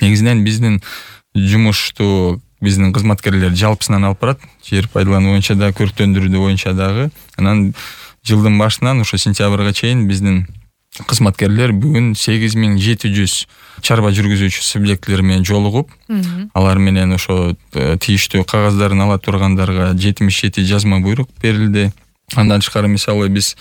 негизинен биздин жумушту биздин кызматкерлер жалпысынан алып барат. Жер пайдалануу боюнча да, көрктөндүрүү боюнча дагы. Анан жылдын башынан ошо сентябрга чейин биздин кызматкерлер бүгүн 8700 чарба жүргүзүүчү субъектлер менен жолугуп, алар менен ошо тийиштүү кагаздарын ала тургандарга 77 жазма буйрук берилди. Андан тышкары мисалы биз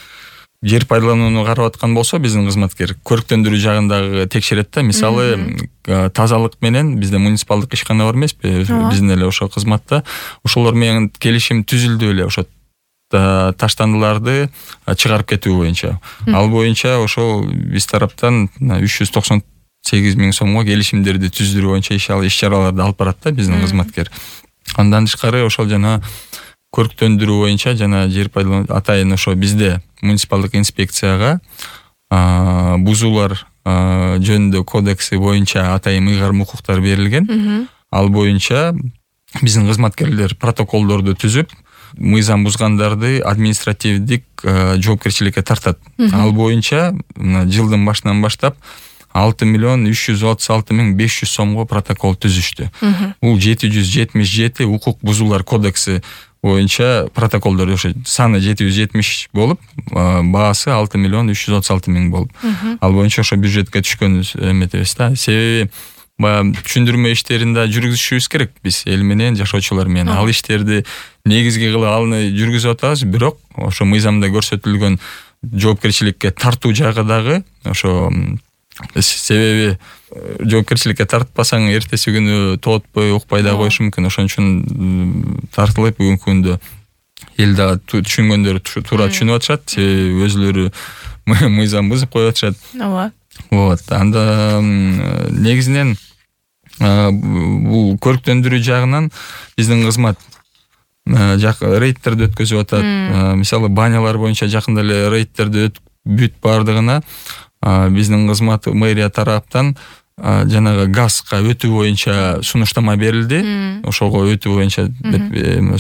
жер пайдаланууну карап аткан болсо, биздин кызматкер көрктөндүрүү жагындагы текшерет да. Мисалы тазалык менен бизде муниципалдык ишкана бар эмеспи? Биздин эле ошо кызматта ошолор менен келишим түзүлдү эле, ошо таштандыларды чыгарып кетүү боюнча. Ал боюнча ошол биз тараптан 398 000 сомго келишимдерди түздүрүү боюнча иш-чараларды алып барат да биздин кызматкер. Андан тышкары ошол жана көрктөндүрүү боюнча жана жер пайдалануу атайын ошо бизде муниципалдык инспекцияга бузуулар жөнүндө кодекси боюнча атайын ыйгарым укуктар берилген. Ал боюнча биздин кызматкерлер протоколдорду түзүп, мыйзам бузгандарды административдик жоопкерчиликке тартат. Ал боюнча жылдын башынан баштап 6 500 сомго протокол түзүштү. Бул 777 укук бузуулар кодекси боюнча протоколдор ошо саны 770 болуп, баасы 6 336 000 болуп. Ал боюнча ошо бюджетке түшкөн эметебиз да. Себеби баягы түшүндүрмө иштерин да жүргүзүшүбүз керек биз эл менен, жашоочулар менен. Ал иштерди негизги кылып аны жүргүзүп атабыз, бирок ошо мыйзамда көрсөтүлгөн жоопкерчиликке тартуу жагы дагы ошо себеби жоопкерчиликке тартпасаң эртеси күнү тоотпой, укпай да коюшу мүмкүн. Ошон үчүн тартылып бүгүнкү күндө эл дагы түшүнгөндөр туура түшүнүп атышат, себеби өзүлөрү мыйзам бузуп коюп атышат. Вот. Анда негизинен бул көрктөндүрүү жагынан биздин кызмат рейдтерди өткөзүп атат. Мисалы банялар боюнча жакында эле рейдтерди бүт бардыгына биздин кызмат мэрия тараптан жанагы газга өтүү боюнча сунуштама берилди. Ошого өтүү боюнча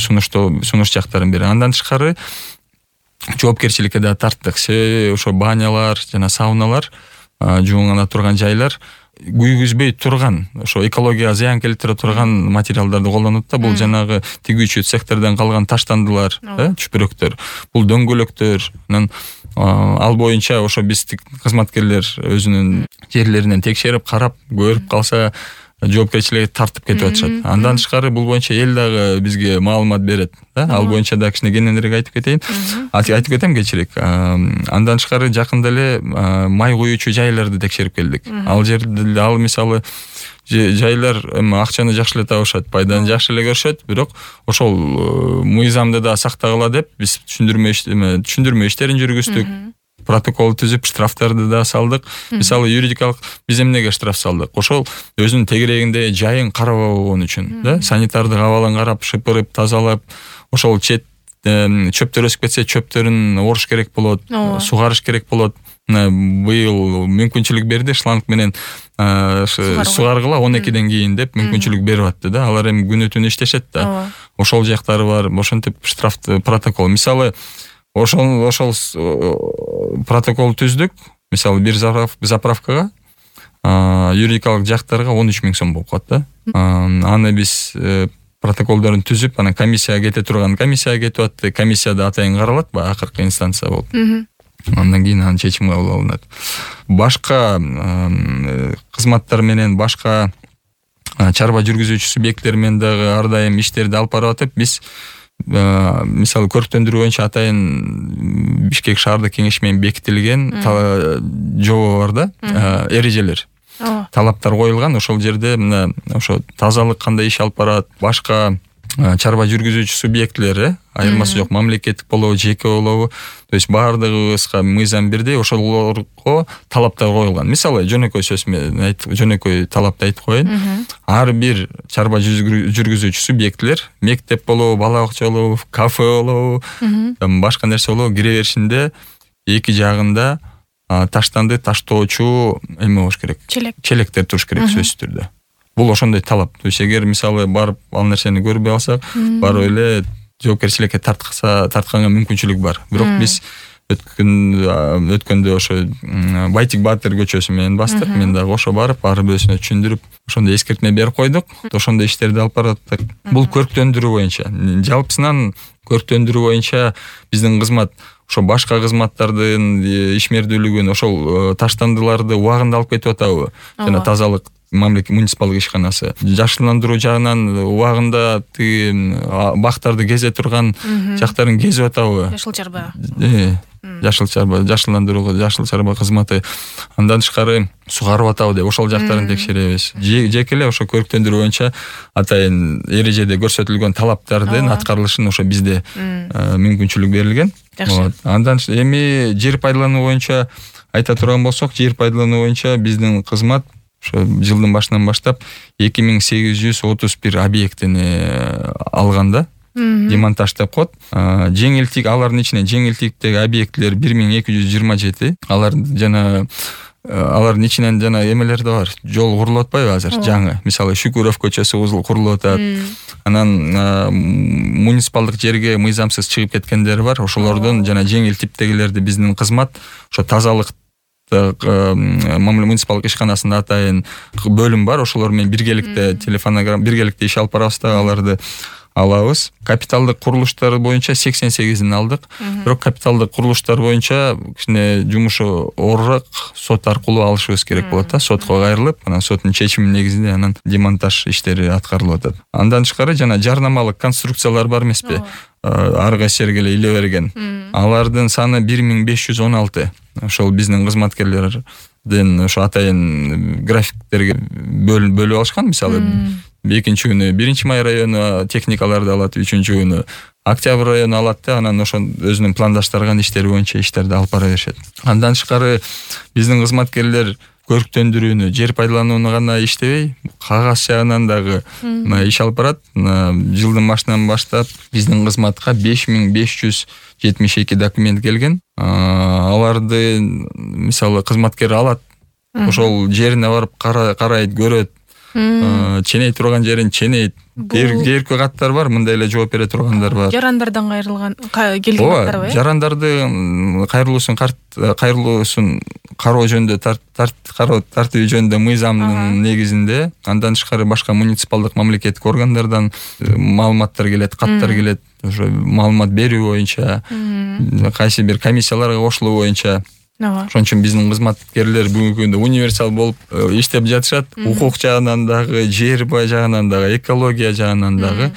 сунуш жактарын берди. Андан тышкары жоопкерчиликке да тарттык. Себеби ошо банялар жана сауналар, жуугана турган жайлар күйгүзбөй турган, ошо экологияга зыян келтире турган материалдарды колдонот да. Бул жанагы тигүүчү цехтерден калган таштандылар, чүпүрөктөр, бул дөңгөлөктөр. Ал боюнча ошо биз кызматкерлер өзүнүн жерлеринен текшерип, карап, көрүп калса жоопкерчиликке тартып кетип атышат. Андан тышкары бул боюнча эл дагы бизге маалымат берет да. Ал боюнча да кичине кененирээк айтып кетем кечирээк. Андан тышкары жакында эле май куюучу жайларды текшерип келдик. Ал жерде ал мисалы жайлар акчаны жакшы эле табышат, пайданы жакшы эле көрүшөт, бирок ошол мыйзамды да сактагыла деп биз түшүндүрмө иштерин жүргүздүк. Протокол түзүп, штрафтарды да салдык. Мисалы юридикалык биз эмнеге штраф салдык? Ошол өзүнүн тегерегинде жайын карабаган үчүн, да? Санитардык абалын карап, шыпырып, тазалап, ошол чөптөр өсүп кетсе, чөптөрүн оруш керек болот, сугарыш керек болот. Быйыл мүмкүнчүлүк берди, шланг менен сугаргыла 12ден кийин деп мүмкүнчүлүк берип атты да. Алар эми күнү түнү иштешет да. Ошол жактары бар. Ошентип штрафты протокол. Мисалы ошол протокол түздүк. Мисалы бир заправкага юридикалык жактарга 13 000 сом болуп калат да. Аны биз протоколдорун түзүп, анан комиссияга кетип атты. Комиссияда атайын каралат, акыркы инстанция болуп. Андан кийин анын чечими кабыл алынат. Башка кызматтар менен, башка чарба жүргүзүүчү субъекттер менен дагы ар дайым иштерди алып барып атып, биз мисалы көрктөндүрүү боюнча атайын Бишкек шаардык кеңеши менен бекитилген жобо бар да, эрежелер. Талаптар коюлган. Ошол жерде мына ошо тазалык кандай иш алып барат, башка чарба жүргүзүүчү субъектлери, айырмасы жок, мамлекеттик болобу, жеке болобу, то есть баардыгыбызга мыйзам бирдей, ошолорго талаптар коюлган. Мисалы жөнөкөй сөз менен жөнөкөй талапты айтып коеюн. Ар бир чарба жүргүзүүчү субъектлер, мектеп болобу, бала бакча болобу, кафе болобу, башка нерсе болобу, кире беришинде эки жагында таштанды таштоочу эме болуш керек. Челектер туруш керек сөзсүз түрдө. Бул ошондой талап. То есть эгер мисалы барып ал нерсени көрбөй алсак, барып эле жоопкерчиликке тартканга мүмкүнчүлүк бар. Бирок биз өткөндө ошо Байтик Баатыр көчөсү менен бастык. Мен дагы ошо барып ар бирөөсүнө түшүндүрүп, ошондой эскертме берип койдук. Ошондой иштерди алып бараттык. Бул көрктөндүрүү боюнча. Жалпысынан көрктөндүрүү боюнча биздин кызмат ошо башка кызматтардын ишмердүүлүгүн, ошол таштандыларды убагында алып кетип атабы? Жана тазалык муниципалдык ишканасы жашылдандыруу жагынан убагында бактарды кезе турган жактарын кезип атабы? Жашыл чарба. Жашыл чарба, жашылдандыруу, жашыл чарба кызматы. Андан тышкары сугарып атабы деп ошол жактарын текшеребиз. Жеке эле ошо көрктөндүрүү боюнча атайын эрежеде көрсөтүлгөн талаптардын аткарылышын ошо бизде мүмкүнчүлүк берилген. Андан эми жер пайдалануу боюнча айта турган болсок, жер пайдалануу боюнча биздин кызмат ошо жылдын башынан баштап 2831 объектини алганда, демонтаж деп коет. Жеңилтик, алардын ичинен жеңилтиктеги объектилер 1227. Алардын ичинен жана эмелер да бар. Жол курулуп атпайбы азыр жаңы? Мисалы Шүкүров көчөсү курулуп атат. Анан муниципалдык жерге мыйзамсыз чыгып кеткендер бар. Ошолордун жана жеңил типтегилерди биздин кызмат ошо тазалык муниципалдык ишканасында атайын бөлүм бар. Ошолор менен биргеликте биргеликте иш алып барабыз да, аларды алабыз. Капиталдык курулуштар боюнча 88-ин алдык. Бирок капиталдык курулуштар боюнча кичине жумушу оорураак сот аркылуу алышыбыз керек болот да. Сотко кайрылып, анан соттун чечими негизинде анан демонтаж иштери аткарылып атат. Андан тышкары жана жарнамалык конструкциялар бар эмеспи? Ар кайсы жерге эле иле берген. Алардын саны 1516. Ошол биздин кызматкерлердин ошо атайын графиктерге бөлүп алышкан. Мисалы, экинчи күнү 1-май району техникаларды алат, 3-чү күнү Октябрь району алат да, анан ошо өзүнүн пландаштырган иштери боюнча иштерди алып бара беришет. Андан тышкары биздин кызматкерлер көрктөндүрүүнү, жер пайдаланууну гана иштебей, кагаз жагынан дагы иш алып барат. Жылдын башынан баштап биздин кызматка 5572 документ келген. Аларды мисалы кызматкер алат, ошол жерине барып карайт, көрөт, ченей турган жерин ченейт. Кээркү каттар бар, мындай эле жооп бере тургандар бар. Жарандардан келген каттар, жарандардын кайрылуусун кароо жөнүндө тартуу жөнүндө мыйзамдын негизинде, андан тышкары башка муниципалдык мамлекеттик органдардан маалыматтар келет, каттар келет, ошо маалымат берүү боюнча, кайсы бир комиссияларга кошулуу боюнча. Ошон үчүн биздин кызматкерлер бүгүнкү күндө универсал болуп иштеп жатышат. Укук жагынан дагы, жер бай жагынан дагы, экология жагынан дагы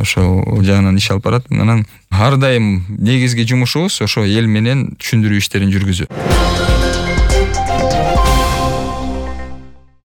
ошол жагынан иш алып барат. Анан ар дайым негизги жумушубуз ошо эл менен түшүндүрүү иштерин жүргүзүү.